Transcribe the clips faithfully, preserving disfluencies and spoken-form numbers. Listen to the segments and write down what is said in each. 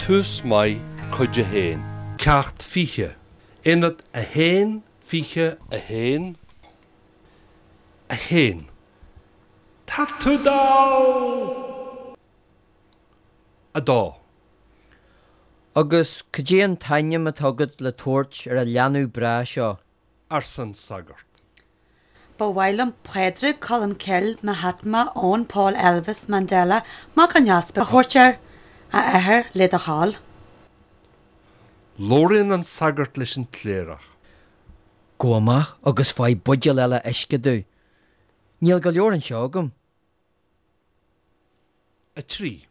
Tús Maith, Cuid a haon. Ceacht fiche, Aonad a haon, fiche a haon, a haon. Tá tú dall! A dó. Agus cad é an t-ainm atá agat le tabhairt ar an leanbh breá seo? arsa an sagart. Ba mhaith liom Pádraig Colmcille Mahatma Eoin Paul Elvis Mandela Mac an Easpaig a thabhairt air, a athair, le do thoil. Labhraíonn an sagart leis an gcléireach. Gabh amach agus faigh buidéal eile uisce domh. Níl go leor anseo agam. a trí.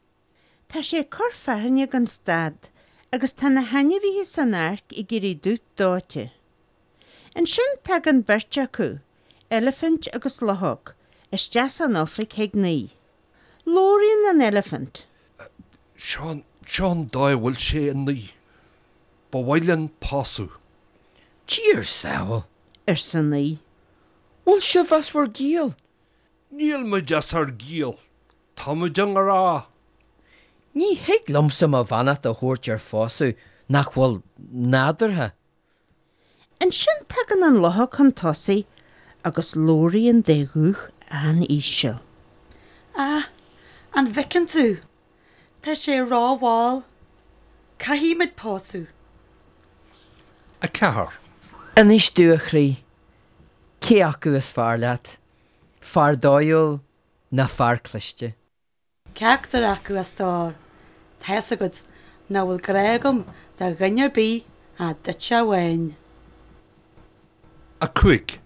Tá sé ag cur fearthainne gan stad agus tá na hainmhithe san áirc ag éirí dubh dóite. Ansin tagann beirt acu, eilifint agus luchóg, isteach san oifig chuig Naoi. Labhraíonn an eilifint. Seo seo an dóigh a bhfuil sé, a Naoi. Ba mhaith linn pósadh. Dia ár sábháil! arsa Naoi. Bhfuil sibh as bhur gciall? Níl muid as ár gciall. Tá muid i ngrá. Ní thig liomsa mo bheannacht a thabhairt ar phósadh nach bhfuil nádúrtha. Ansin tagann an luchóg chun tosaigh agus labhraíonn de ghuth an-íseal. Ah, an bhfeiceann tú? Tá sé rómhall. Caithfimid pósadh. a ceathair. Inis domh, a chroí, cé acu is fearr leat, fear dóighiúil ná fear cliste? Ceachtar acu, a stór, tá fhios agat nach bhfuil grá agam do dhuine ar bith ach duitse amháin. a cúig.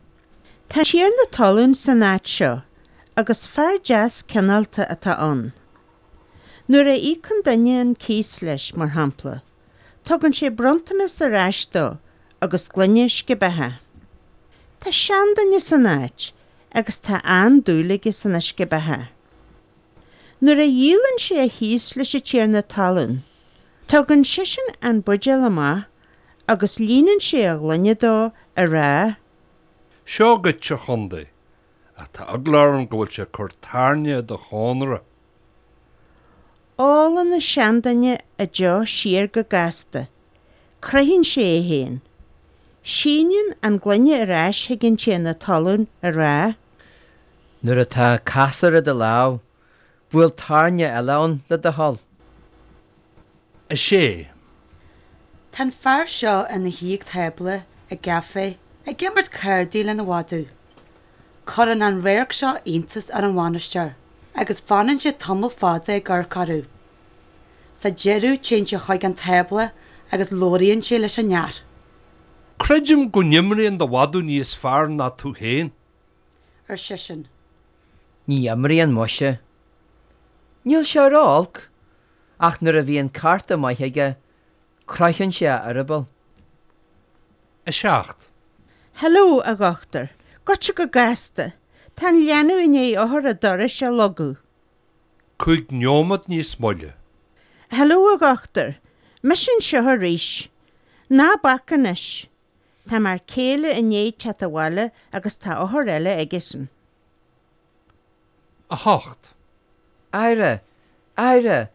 Tá tiarna talún san áit seo agus fear deas cineálta atá ann. Nuair a íocann duine an cíos leis, mar shampla, tugann sé bronntanas ar ais dó agus gloine uisce beatha. Tá seanduine san áit agus tá an-dúil aige san uisce beatha. Nuair a dhíolann sé a chíos leis an tiarna talún, tugann seisean an buidéal amach agus líonann sé a ghloine dó á rá. Seo dhuit, a chontae, ach tá eagla orm go bhfuil sé ag cur tairne i do chónra. Ólann an seanduine a deoch siar go gasta. Croitheann sé é féin. Síneann an gloine ar ais chuig an tiarna talún á rá. Nuair atá casúr i do lámh, buail tairne eile ann le do thoil. a sé. Tá an fear seo ina shuí ag tábla i gcaifé ag imirt cártaí lena mhadadh. Cuireann an radharc seo iontas ar an bhainisteoir agus fanann sé tamall fada ag amharc orthu. Sa deireadh téann sé chuig an tábla agus labhraíonn sé leis an fhear. Creidim go n-imríonn do mhadadh níos fearr ná tú féin. ar seisean. Ní imríonn muise. Níl sé ró-olc, ach nuair a bhíonn cárta maith aige, croitheann sé a eireaball. a seacht. Hello, a dhochtúir. Goitse go gasta. Tá an leanbh i ndiaidh eochair an dorais a shlogadh. Cúig neomat níos moille. Hello, a dhochtúir. Mise anseo arís. Ná bac anois. Tá m'fhear céile i ndiaidh teacht abhaile agus tá othar eile aigesan. a hocht. Aire! Aire!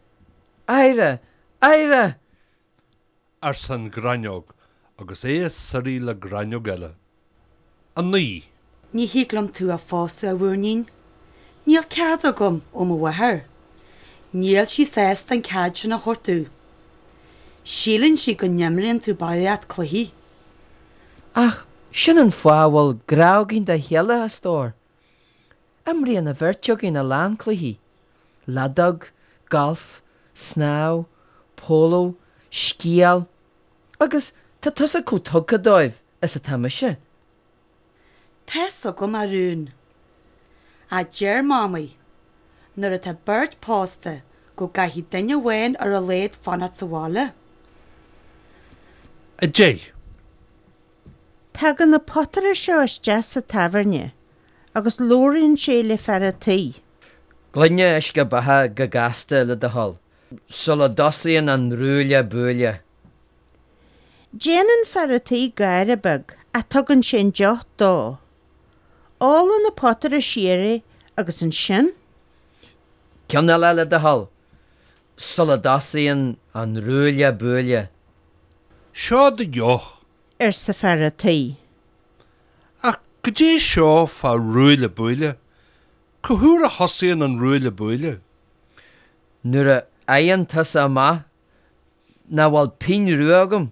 Aire! Aire! arsa an ghráinneog agus é ag suirí le gráinneog eile. A naoi. Ní thig liom tú a phósadh, a mhúirnín. Níl cead agam ó mo mháthair. Níl sí sásta an cead sin a thabhairt domh. Síleann sí go n-imríonn tú barraíocht cluichí. Ach sin an fáth a bhfuil grá againn dá chéile, a stór. Imríonn an bheirt againn a lán cluichí, leadóg, galf, snámh, póló, sciáil, agus tá tusa chomh tugtha dóibh is atá mise. Tá fhios agam, a rún. Ach deir Mamaí, nuair atá beirt pósta go gcaithfidh duine amháin ar a laghad fanacht sa bhaile. A deich. Tagann an potaire seo isteach sa tábhairne agus labhraíonn sé le fear an tí. Gloine uisce beatha go gasta le do thoil, sula dtosaíonn an ruaille buaille. Déanann fear an tí gáire beag ach tugann sé an deoch dó. Ólann an potaire siar é agus ansin. Ceann eile le do thoil. sula dtosaíonn an ruaille buaille. Seo do dheoch. arsa fear a' tí. Ach goidé seo fá ruaille buaille? Cá huair a thosaíonn an ruaille buaille? Nuair a fhaigheann tusa amach nach bhfuil pingin rua agam.